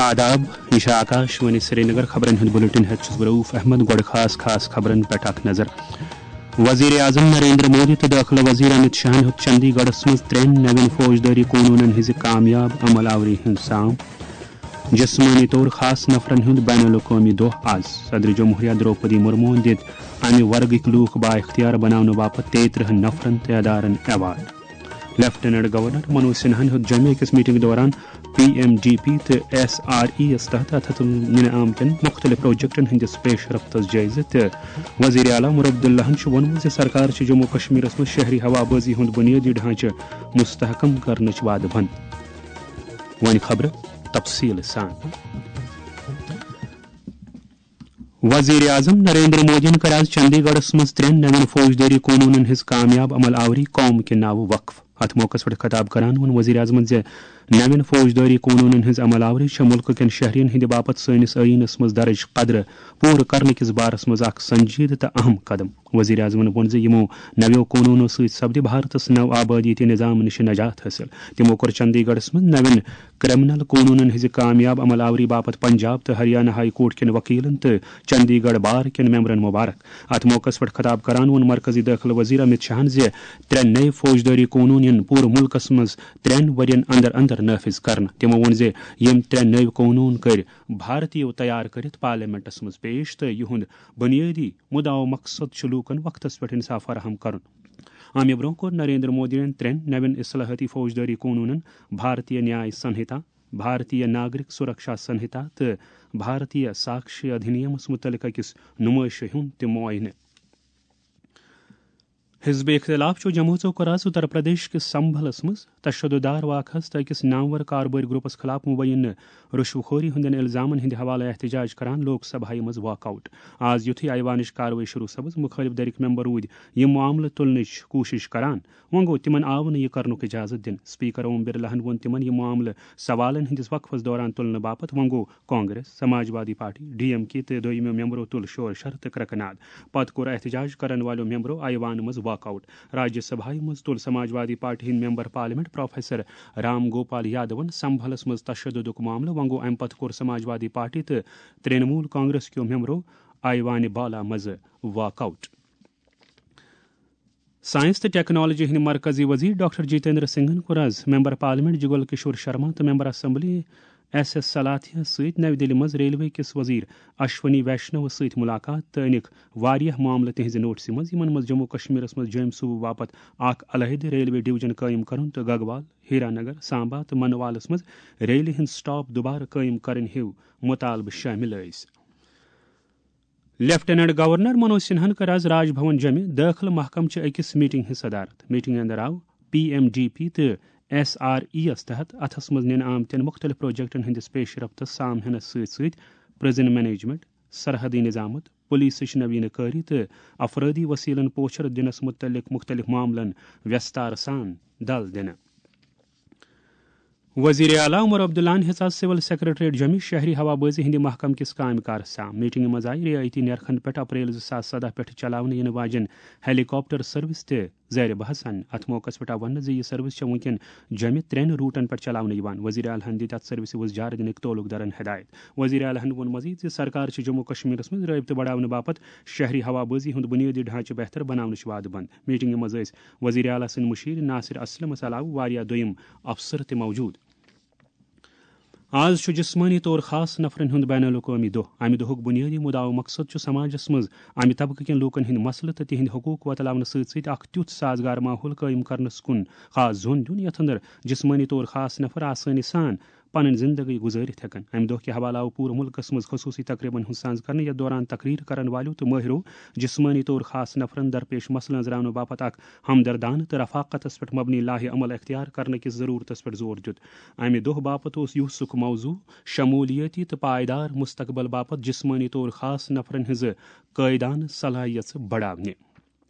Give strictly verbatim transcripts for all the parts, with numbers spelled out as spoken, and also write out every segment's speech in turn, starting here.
آداب، یہ چھِ آکاش وانی سرینگر۔ خبرن ہُنٛد بلیٹن ہیتھ چھُس بہٕ رؤف احمد۔ گۄڈٕ خاص خاص خبرن پٮ۪ٹھ اکھ نظر۔ وزیر اعظم نریندر مودی تہٕ دٲخلہٕ وزیر امت شاہن ہیوٚت چندی گڑھس منٛز ترٛٮ۪ن نوٮ۪ن فوجدٲری قونوٗنن ہٕنٛزِ کامیاب عمل آوری ہُنٛد سام۔ جسمٲنی طور خاص نفرن ہُنٛد بین الاقوٲمی دۄہ آز۔ صدر جمہوریہ درٛوپدی مرموہن دِتۍ امہِ ورگٕکۍ لوٗکھ بااختیار بناونہٕ باپتھ تیٚیہِ ترٕٛہن نفرن تہٕ ادارن ایوارڈ۔ لیفٹیننٹ گورنر منوج سنہاہن ہیوٚت جوٚمہِ أکِس میٹنگ دوران پی ایم ڈی پی تہٕ ایس آر ای یس تحت اتھس نِنہٕ آمتٮ۪ن مُختٔلِف پروجیکٹن ہٕنٛدِس پیش رفتس جٲیزٕ تہٕ وزیر اعلیٰ عمر عبداللہن چھُ ووٚنمُت زِ سرکار چھِ جموں کشمیرس منٛز شہری ہوابٲزی ہُنٛد بُنیٲدی ڈھانچہٕ مستحکم کرنٕچ وعدٕ بنٛد۔ وۄنۍ خبرٕ تفصیٖل سان۔ وزیر اعظم نریندر مودیَن کٔر آز چندی گڑھس منٛز ترٛٮ۪ن نوٮ۪ن فوجدٲری قونوٗنن ہٕنٛز کامیاب عمل آوری قوم کہِ ناوٕ وقف۔ اتھ موقعس پٮ۪ٹھ خطاب کران ووٚن وزیر اعظمن زِ نوٮ۪ن فوجدٲری قونوٗنن ہٕنٛز عمل آوری چھےٚ مُلکہٕ کٮ۪ن شہرین ہٕنٛدِ باپتھ سٲنِس ٲییٖنس منٛز درج قدرٕ پوٗرٕ کرنہٕ کِس بارس منٛز اکھ سنجیدٕ تہٕ اہم قدم۔ وزیر اعظمن ووٚن زِ یِمو نویو قونوٗنو سۭتۍ سپدِ بھارتس نو آبٲدی تہٕ نظام نِش نجات حٲصِل۔ تِمو کوٚر چندی گڑھس منٛز نوٮ۪ن کرمنل قونوٗنن ہٕنٛزِ کامیاب عمل آوری باپتھ پنجاب تہٕ ہریانہ ہائی کورٹ کٮ۪ن وکیلن تہٕ چندی گڑھ بار کٮ۪ن ممبرن مبارک۔ اتھ موقعس پٮ۪ٹھ خطاب کران ووٚن مرکزی دٲخلہٕ وزیر امت شاہن زِ ترٛےٚ نٔوۍ فوجدٲری قونوٗن یِن پوٗرٕ مُلکس منٛز ترٛٮ۪ن ؤرین اندر اندر نافذ کرنہٕ۔ تِمو ووٚن زِ یِم ترٛےٚ نٔوۍ قونوٗن کٔرۍ بھارتیو تیار کٔرِتھ پارلیمنٹس منٛز پیش تہٕ یِہُنٛد بُنیٲدی مُدعا و مقصد چھُ لوٗکن وقتس پٮ۪ٹھ انصاف فراہم کرُن۔ امہِ برٛونٛہہ کوٚر نریندر مودیَن ترٛٮ۪ن نوٮ۪ن اصلاحٲتی فوجدٲری قونوٗنن، بھارتیہ نیاے سنہتا، بھارتیہ ناگرک سرکشا سنہتا تہٕ بھارتیہ ساکشی ادھینیمس مُتعلق أکِس نُمٲیشہِ ہُنٛد تہِ معاینہٕ۔ حزب اختلاف چھُ جمٲژو کوٚر آز اتر پردیش کِس سمبھلس منٛز تشدد دار واقعس تہٕ أکِس نامور کاربٲرۍ گروپس خلاف مبینہ رشوٕ خوری ہٕنٛدٮ۪ن الزامن ہٕنٛدِ حوالہٕ احتجاج کران لوک سبھایہ منٛز واک آؤٹ۔ آز یُتھُے ایوانٕچ کاروٲیی شروع سپٕز، مُخٲلف دھرِکۍ ممبر روٗدۍ یِم معاملہٕ تُلنٕچ کوٗشش کران، وۄنۍ گوٚو تِمن آو نہٕ یہِ کرنُک اجازت دِنہٕ۔ اسپیکر اوم برلاہن ووٚن تِمن یہِ معاملہٕ سوالن ہٕنٛدِس وقفس دوران تُلنہٕ باپتھ، وۄنۍ گوٚو Congress, Samajwadi party, D M K تہٕ دوٚیمو ممبرو تُل شور شر تہٕ کرٛکہٕ ناد۔ پتہٕ کوٚر احتجاج کرن والیو ممبرو ایوان منٛز واک آؤٹ۔ راجیہ سبھایہ منٛز تُل سماجوادی پارٹی ہٕنٛدۍ member parliament professor Ram Gopal یادون سمبھلس منٛز تشددُک معاملہٕ۔ وۄنۍ گوٚو امہِ پتہٕ کوٚر سماجوادی پارٹی تہٕ ترٛنمول کانگریس کیو ممبرو ایوانِ بالا منٛز واک آؤٹ۔ ساینس تہٕ ٹیکنالوجی ہٕنٛدۍ مرکزی وزیر ڈاکٹر جتیندر سنگھن کوٚر آز ممبر پارلیمنٹ جگل کشور شرما تہٕ ممبر اسمبلی ایس ایس سلاتھیہ سۭتۍ نَوِ دِلہِ منٛز ریلوے کِس وزیر اشونی ویشنوَس سۭتۍ مُلاقات تہٕ أنِکھ واریاہ معاملہٕ تِہنٛزِ نوٹسہِ منٛز، یِمن منٛز جموں کشمیرس منٛز جوٚمۍ صوبہٕ باپتھ اکھ علیحدٕ ریلوے ڈویژن قٲیِم کرُن تہٕ گگوال، ہیرانگر، سامبا تہٕ منوالس منٛز ریلہِ ہٕنٛز سٹاپ دُبارٕ قٲیِم کرٕنۍ ہیوٗ مُطالبہٕ شٲمِل ٲسۍ۔ لیفٹیننٹ گورنر منوج سنہاہن کٔر آز راج بھون جمہِ دٲخلہٕ محکمہٕ چہِ أکِس میٹنگ ہٕنٛز صدارت۔ میٹنگ اندر آو پی ایم ڈی پی تہٕ ایس آر ای یس تحت اتھس منٛز نِنہٕ آمتٮ۪ن مُختٔلِف پروجیکٹن ہٕنٛدِس پیش رفتس سام ہینس سۭتۍ سۭتۍ پرزن مینجمنٹ، سرحدی نظامت، پولیسٕچ نوینہٕ کٲری تہٕ افرٲدی وسیلن پوچھر دِنس مُتعلق مُختٔلِف معاملن ویستار سان دل دِنہٕ۔ وزیر اعلیٰ عمر عبداللہن ہیژ آز سول سیکرٹریٹ جوٚمہِ شہری ہوابٲزی ہٕنٛدِ محکمہٕ کِس کامہِ کارس سان۔ میٹنگہِ منٛز آیہِ رعایتی نرخن پٮ۪ٹھ اپریل زٕ ساس سدہ پٮ۪ٹھ چلاونہٕ یِنہٕ واجٮ۪ن ہیلی کاپٹر سروس تہِ زیر بحث اننہٕ۔ اتھ موقعس پٮ۪ٹھ آو وننہٕ زِ یہِ سروس چھےٚ وُنکٮ۪ن جوٚمہِ ترٛٮ۪ن روٹن پٮ۪ٹھ چلاونہٕ یِوان۔ وزیر اعلیٰ ہن دِتۍ اتھ سروسہِ وُزجار دِنٕکۍ تعلق دارن ہدایت۔ وزیر اعلیٰ ہن ووٚن مزید زِ سرکار چھِ جموں کشمیرس منٛز رٲبطہٕ بڑاونہٕ باپتھ شہری ہوابٲزی ہُنٛد بُنیٲدی ڈھانچہٕ بہتر بناونٕچ وعدٕ بنٛد۔ میٹنگہِ منٛز ٲسۍ وزیر اعلیٰ سٕنٛدۍ مُشیر ناصر اسلمس علاوٕ واریاہ دوٚیِم افسر تہِ موجود۔ آز چھُ جسمٲنی طور خاص نفرن ہُنٛد بین الاقوٲمی دۄہ۔ امہِ دۄہُک بُنیٲدی مُدعا و مقصد چھُ سماجس منٛز امہِ طبقہٕ کٮ۪ن لوٗکن ہٕنٛدۍ مسلہٕ تہٕ تِہنٛدۍ حقوق وۄتلاونہٕ سۭتۍ سۭتۍ اکھ تیُتھ سازگار ماحول قٲیِم کرنس کُن خاص زوٚن دیُن، یتھ اندر جسمٲنی طور خاص نفر آسٲنی سان پنٕنۍ زندگی گُزٲرِتھ ہٮ۪کن۔ امہِ دۄہ کہِ حوالہٕ آو پوٗرٕ مُلکس منٛز خصوٗصی تقریبن ہُنٛد سنز کرنہٕ، یتھ دوران تقریر کرن والیو تہٕ مٲہرو جسمٲنی طور خاص نفرن درپیش مسلہٕ أنٛزراونہٕ باپتھ اکھ ہمدردانہٕ تہٕ رفاقتس پٮ۪ٹھ مبنی لاہہِ عمل اختیار کرنہٕ کِس ضروٗرتس پٮ۪ٹھ زور دیُت۔ امہِ دۄہ باپتھ اوس یُہسُک موضوع شمولیٲتی تہٕ پائیدار مستقبل باپتھ جسمٲنی طور خاص نفرن ہٕنٛزٕ قٲیدانہٕ صلاحیژٕ بڑاونہِ۔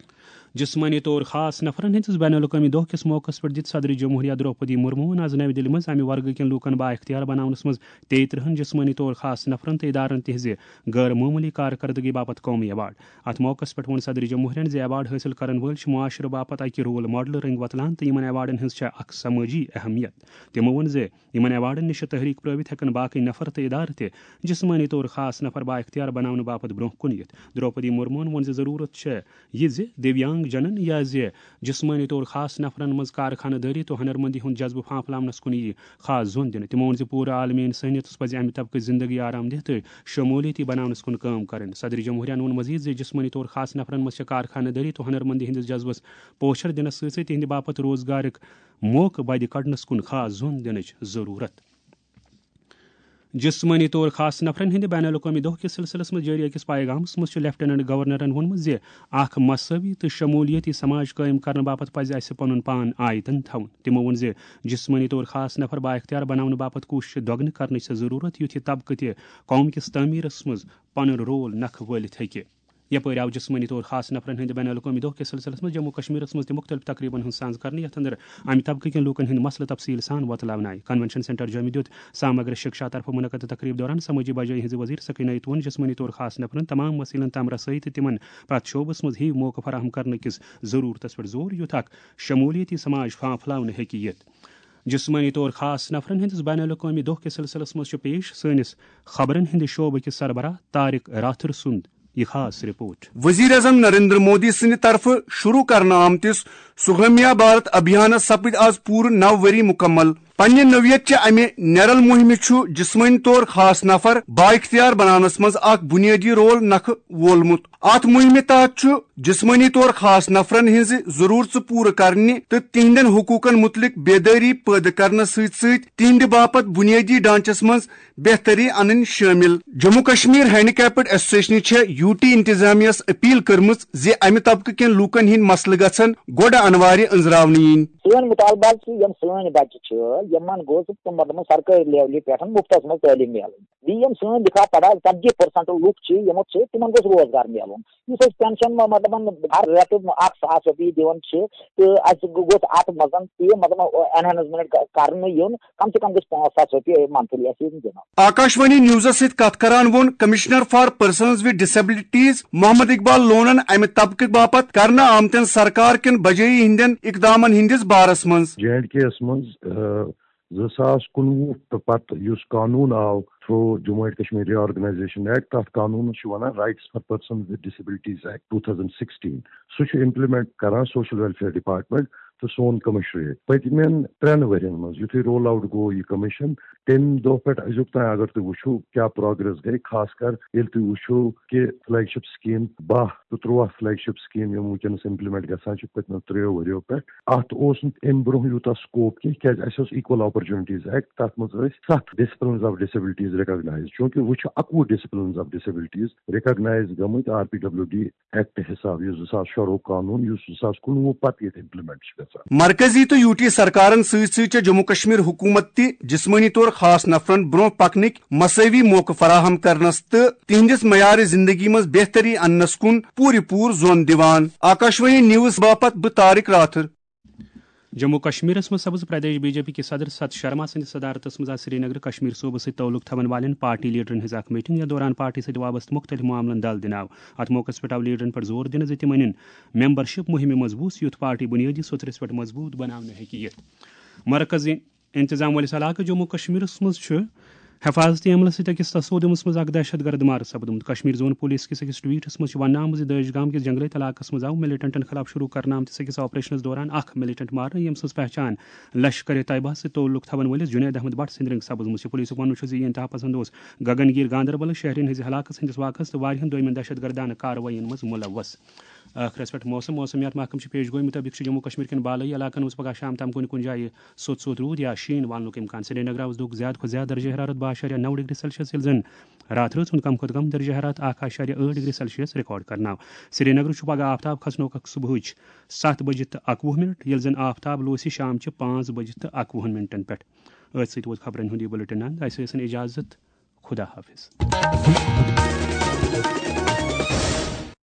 جسمٲنی طور خاص نفرن ہٕنٛدِس بین الاقوٲمی دۄہ کِس موقعس پٮ۪ٹھ دِژ صدر جمہوریہ درٛوپدی مرموٗہن آز نَوِ دِلہِ منٛز اَمہِ ورگہٕ کٮ۪ن لوٗکن بااختیار بناونس منٛز تیٚیہِ ترٕٛہن جسمٲنی طور خاص نفرن تہٕ ادارن تِہنٛزِ غٲر معموٗلی کارکردگی باپتھ قومی ایوارڈ۔ اَتھ موقعس پٮ۪ٹھ ووٚن صدر جمہوریہن زِ ایوارڈ حٲصِل کرن وٲلۍ چھِ معاشرٕ باپتھ اکہِ رول ماڈلہٕ رٔنٛگۍ وۄتلان تہٕ یِمن ایوارڈن ہٕنٛز چھےٚ اکھ سمٲجی اہمیت۔ تِمو ووٚن زِ یِمن ایوارڈن نِش چھِ تحریک پرٲوِتھ ہٮ۪کن باقٕے نفر تہٕ ادارٕ تہِ جسمٲنی طور خاص نفر بااختیار بناونہٕ باپتھ برونٛہہ کُن یِتھ۔ درٛوپدی مرموٗہن ووٚن زِ ضروٗرت چھےٚ یہِ زِ دیویانگ جنن یا زِ جسمٲنی طور خاص نفرن منٛز کارخانہٕ دٲری تہٕ ہنرمندی ہُنٛد جذبہٕ پھانپھلاونس کُن یِیہِ خاص زون دِنہٕ۔ تِمو ووٚن زِ پوٗرٕ عالمی انسٲنیتس پزِ امہِ طبقٕچ زندگی آرام دہ تہٕ شمولیتی بناونس کُن کٲم کرٕنۍ۔ صدر جمہوریہن ووٚن مزید زِ جسمٲنی طور خاص نفرن منٛز چھِ کارخانہٕ دٲری تہٕ ہنرمندی ہٕنٛدِس جذبس پوچھر دِنس سۭتۍ سۭتۍ تِہنٛدِ باپتھ روزگارٕک موقعہٕ بدِ کڑنس کُن خاص زون دِنٕچ ضروٗرت۔ جسمٲنی طور خاص نفرن ہٕنٛدِ بین الاقوٲمی دۄہ کِس سلسلس منٛز جٲری أکِس پیغامس منٛز چھُ لیفٹیننٹ گورنرن ووٚنمُت زِ اکھ مساوی تہٕ شمولیتی سماج قٲیِم کرنہٕ باپتھ پزِ اسہِ پنُن پان آیتن تھاوُن۔ تِمو ووٚن زِ جسمٲنی طور خاص نفر بااختیار بناونہٕ باپتھ کوٗششہٕ دۄگنہٕ کرنٕچ چھےٚ ضروٗرت، یُتھ یہِ طبقہٕ تہِ قوم کِس تعمیرس منٛز پنُن رول نکھٕ وٲلِتھ ہیٚکہِ۔ یپٲرۍ آو جسمٲنی طور خاص نفرن ہٕنٛدِ بین الاقوٲمی دۄہ کِس سلسلس منٛز جموں کشمیرس منٛز تہِ مختلف تقریبن ہُنٛد سانز کرنہٕ، یتھ اندر امہِ طبقہٕ کٮ۪ن لوٗکن ہٕنٛدۍ مسلہٕ تفصیل سان وۄتلاونہٕ آیہِ۔ کنونشن سینٹر جوٚمہِ دیُت سامگرا شکشا طرفہٕ منعقد تقریب دوران سمٲجی بجٲیی ہٕنٛزِ وزیر سکینہ یتوَن جسمٲنی طور خاص نفرن تمام وسیلن تام رسٲیی تہٕ تِمن پرٛٮ۪تھ شعبس منٛز ہِوۍ موقعہٕ فراہم کرنہٕ کِس ضروٗرتس پٮ۪ٹھ زور، یُتھ اکھ شمولیتی سماج پھا-، پھٔہلاونہٕ ہیٚکہِ یِتھ۔ جسمٲنی طور خاص نفرن ہٕنٛدِس بین الاقوٲمی دۄہ کِس سلسلس منٛز چھُ پیش سٲنِس خبرن ہٕنٛدِ شعبہٕ کِس سربراہ طارق راتھر سُنٛد یہِ خاص رپورٹ۔ وزیر اعظم نریندر مودی سٕنٛدِ طرفہٕ شروع کرنہٕ آمتِس سُگمیا بھارت ابھیانس سپٕدۍ آز پوٗرٕ نو ؤری مکمل۔ پننہِ نوعیت چہِ امہِ نیرل مہمہِ چھُ جسمٲنی طور خاص نفر بااختیار بناونس منٛز اکھ بنیٲدی رول نکھٕ وولمُت۔ اتھ مہمہِ تحت چھُ جسمٲنی طور خاص نفرن ہٕنٛزٕ ضروٗرژٕ پوٗرٕ کرنہِ تہٕ تِہنٛدٮ۪ن حقوٗقن مُتعلق بیدٲری پٲدٕ کرنس سۭتۍ سۭتۍ تِہنٛدِ باپتھ بُنیٲدی ڈھانچس منٛز بہتری انٕنۍ شٲمِل۔ جموں کشمیر ہینڈی کیپڈ ایسوسیشنہِ چھےٚ یوٗ ٹی انتظامیہ یَس اپیل کٔرمٕژ زِ امہِ طبقہٕ کٮ۪ن لوٗکن ہٕنٛدۍ مسلہٕ گژھن گۄڈٕ انوارِ أنٛزراونہٕ یِنۍ۔ سٲنۍ مُطالبہٕ چھِ، یِم سٲنۍ بچہِ چھِ، یِمن گوٚژھ، مطلب، سرکٲرۍ لیولہِ پٮ۪ٹھ مُفتس منٛز تعلیٖم میلٕنۍ۔ بیٚیہِ یِم سٲنۍ لِکھا پڑھا ژتجی پرسنٹ لُکھ چھِ، یِمو چھِ، تِمن گوٚژھ روزگار میلُن۔ یُس أسۍ پینشن، مطلب، ہر رٮ۪تہٕ اکھ ساس رۄپیہِ دِوان چھِ، تہٕ اَسہِ گوٚژھ اتھ منٛز تہِ، مطلب، انہانسمنٹ کرنہٕ یُن، کم سے کم گٔژھ پانٛژھ ساس رۄپیہِ منتھلی اَسہِ یِم دِنہٕ۔ آکاشوانی نیوزس سۭتۍ کتھ کران ووٚن commissioner for persons with disabilities Mohammad Iqbal لونن امہِ طبقہٕ باپتھ کرنہٕ آمتٮ۪ن سرکار کٮ۪ن بجٲیی ہٕنٛدٮ۪ن اقدامن ہٕنٛدِس بارس منٛز۔ جے اینڈ کے یس منٛز، آ، زٕ ساس کُنوُہ تہٕ پتہٕ یُس قانوٗن آو تھرو Jammu and Kashmir reorganisation act, تتھ قانوٗنس چھِ ونان Rights for Persons with Disabilities Act two thousand sixteen۔ سُہ چھُ امپلیمنٹ کران سوشل ویلفیئر ڈپارٹمنٹ تہٕ سون کمشنریٹ۔ پٔتمٮ۪ن ترٛٮ۪ن ؤرین منٛز یُتھُے رول آوٹ گوٚو یہِ کمشن، تمہِ دۄہ پٮ۪ٹھ أزیُک تام اگر تُہۍ وٕچھِو کیٛاہ پروگریس گٔے، خاص کر ییٚلہِ تُہۍ وٕچھِو کہِ فلیگ شپ سکیٖم باہ تہٕ تُرٛواہ فلیگ شپ سکیٖم یِم وٕنکیٚنس امپلیمنٹ گژھان چھِ پٔتمیو ترٛیٚیو ؤرِیو پٮ۪ٹھ، اتھ اوس نہٕ امہِ برونٛہہ یوٗتاہ سکوپ کینٛہہ، کیازِ اسہِ اوس Equal Opportunities Act، تتھ منٛز ٲسۍ ستھ disciplines of disabilities recognize، چوٗنکہِ وۄنۍ چھُ اکوُہ disciplines of disabilities recognize گٔمٕتۍ R P W D act حساب، یُس زٕ ساس شُراہ قانون، یُس زٕ ساس کُنوُہ پتہٕ ییٚتہِ امپلیمنٹ چھُ گژھان۔ مرکزی تہٕ یوٗ ٹی سرکارن سۭتۍ سۭتۍ چھےٚ جموں کشمیر حکوٗمت تہِ جسمٲنی طور خاص نفرن برونٛہہ پکنٕکۍ مساوی موقعہٕ فراہم کرنس تہٕ تِہنٛدِس معیار زندگی منٛز بہتری اننس کُن پوٗرٕ پوٗرٕ زون دِوان۔ آکاشوانی نیوز باپتھ بہٕ طارق راتھر۔ جموں کشمیرس منٛز سبز پردیش بی جے پی کِس صدر ستھ شرما سٕنٛدِس صدارتس منٛز آز سرینگر کشمیر صوبس سۭتۍ تعلق تھاون والٮ۪ن پارٹی لیڈرن ہٕنٛز اکھ میٹنگ، یتھ دوران پارٹی سۭتۍ وابستہٕ مختلف معاملن دل دِنہٕ آو۔ اتھ موقعس پٮ۪ٹھ آو لیڈرن پٮ۪ٹھ زور دِنہٕ زِ تِم أنِن ممبرشپ مہمہِ منٛز وُژھ، یُتھ پارٹی بُنیٲدی سوٚتھرس پٮ۪ٹھ مضبوٗط بناونہٕ ہیٚکہِ یِتھ۔ مرکزی انتظام وٲلِس علاقہٕ جموں کشمیرس منٛز چھُ حفاظتی عملس سۭتۍ أکِس تصادمس منٛز اکھ دہشت گرد مارٕ سپدمُت۔ کشمیر زون پولیس کِس أکِس ٹویٹس منٛز چھُ وننہٕ آمُت زِ دٲج گام کِس جنگلٲوۍ علاقس منٛز آو ملیٹنٹن خلاف شروع کرنہٕ آمتِس أکِس آپریشنس دوران اکھ ملیٹنٹ مارنہٕ، ییٚمہِ سٕنٛز پہچان لشکر طیبہ سۭتۍ تعلق تھاون وٲلِس جنید احمد بٹ سٕنٛدِ رٔنٛگۍ سپزمٕژ چھِ۔ پولیسُک ونُن چھُ زِ یہِ انتہا پسند اوس گگن گیٖر گاندربلس شہرین ہٕنٛزِ ہلاکس ہٕنٛدِس واقعس تہٕ واریاہن دویمٮ۪ن دہشت گردانہٕ کاروٲیین منٛز ملوث۔ ٲخرس پٮ۪ٹھ موسم۔ موسمیات محکمہٕ چہِ پیش گویی مُطٲبِق چھُ جموں کشمیر کٮ۪ن بالٲیی علاقن منٛز پگہہ شام تام کُنہِ کُنہِ جایہِ سوٚت سوٚت روٗد یا شیٖن والنُک امکان۔ سرینگرٕ آز دۄہُک زیادٕ کھۄتہٕ زیادٕ درجہ حرارت باہ اعشاریہ نو ڈگری سیلسیس، ییٚلہِ زن راتھ رٲژ ہُنٛد کم کھۄتہٕ کم درجہ حرارت اکھ اعشاریہ ٲٹھ ڈگری سیلسیس ریکارڈ کرنہٕ آو۔ سرینگرٕ چھُ پگہہ آفتاب کھسنُک صبحٕچ ستھ بجہِ تہٕ اکوُہ منٹ، ییٚلہِ زن آفتاب لوسہِ شام چہِ پانٛژھ بجہِ تہٕ اکوُہن منٹن پٮ۪ٹھ۔ أتھۍ سۭتۍ ووت خبرن ہُنٛد یہِ بُلٹن اند۔ اسہِ ٲسِن اجازت۔ خدا حافظ۔